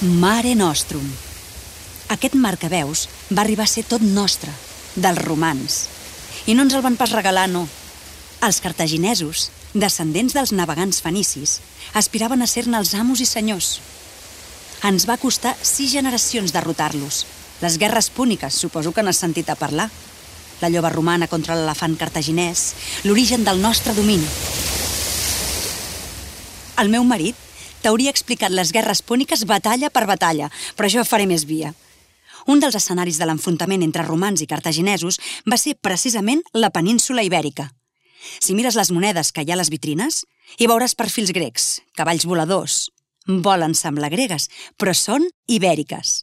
Mare Nostrum. Aquest mar que veus va arribar a ser tot nostre, dels romans. I no ens el van pas regalar, no. Els cartaginesos, descendents dels navegants fenicis, aspiraven a ser-ne els amos i senyors. Ens va costar 6 generacions derrotar-los. Les guerres púniques, suposo que n'has sentit a parlar. La lloba romana contra l'elefant cartaginès, l'origen del nostre domini. El meu marit t'hauria explicat les guerres púniques batalla per batalla, però jo faré més via. Un dels escenaris de l'enfrontament entre romans i cartaginesos va ser precisament la península ibèrica. Si mires les monedes que hi ha a les vitrines, hi veuràs perfils grecs, cavalls voladors. Volen semblar gregues, però són ibèriques.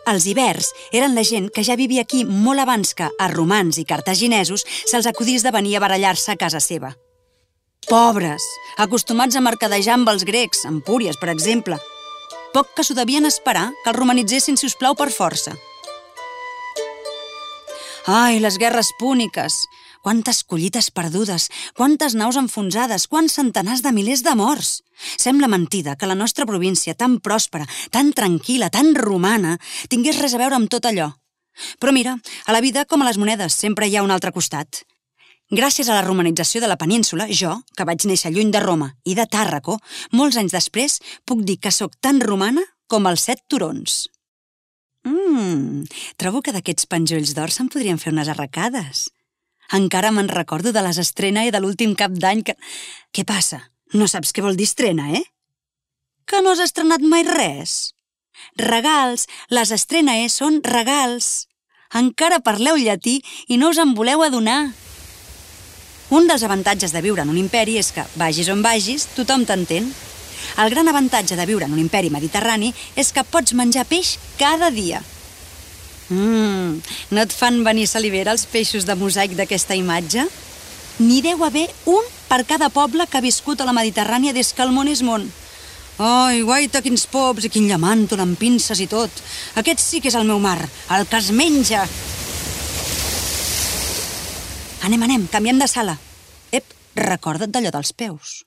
Els ibers eren la gent que ja vivia aquí molt abans que a romans i cartaginesos se'ls acudís de venir a barallar-se a casa seva. Pobres, acostumats a mercadejar amb els grecs, Empúries, per exemple. Poc que s'ho devien esperar que els romanitzessin, si us plau, per força. Ai, les guerres púniques! Quantes collites perdudes, quantes naus enfonsades, quants centenars de milers de morts! Sembla mentida que la nostra província, tan pròspera, tan tranquil·la, tan romana, tingués res a veure amb tot allò. Però mira, a la vida, com a les monedes, sempre hi ha un altre costat. Gràcies a la romanització de la península, jo, que vaig néixer lluny de Roma i de Tàrraco, molts anys després puc dir que sóc tan romana com els 7 turons. Trobo que d'aquests penjolls d'or se'n podrien fer unes arracades. Encara me'n recordo de les estrena i de l'últim cap d'any que... Què passa? No saps què vol dir estrena, eh? Que no has estrenat mai res? Regals, les estrenae són regals. Encara parleu llatí i no us en voleu adonar. Un dels avantatges de viure en un imperi és que, vagis on vagis, tothom t'entén. El gran avantatge de viure en un imperi mediterrani és que pots menjar peix cada dia. No et fan venir salivera els peixos de mosaic d'aquesta imatge? N'hi deu haver un per cada poble que ha viscut a la Mediterrània des que el món és món. Ai, guaita, quins pops i quin llamàntol amb pinces i tot. Aquest sí que és el meu mar, el que es menja. Anem, canviem de sala. Ep, recorda't d'allò dels peus.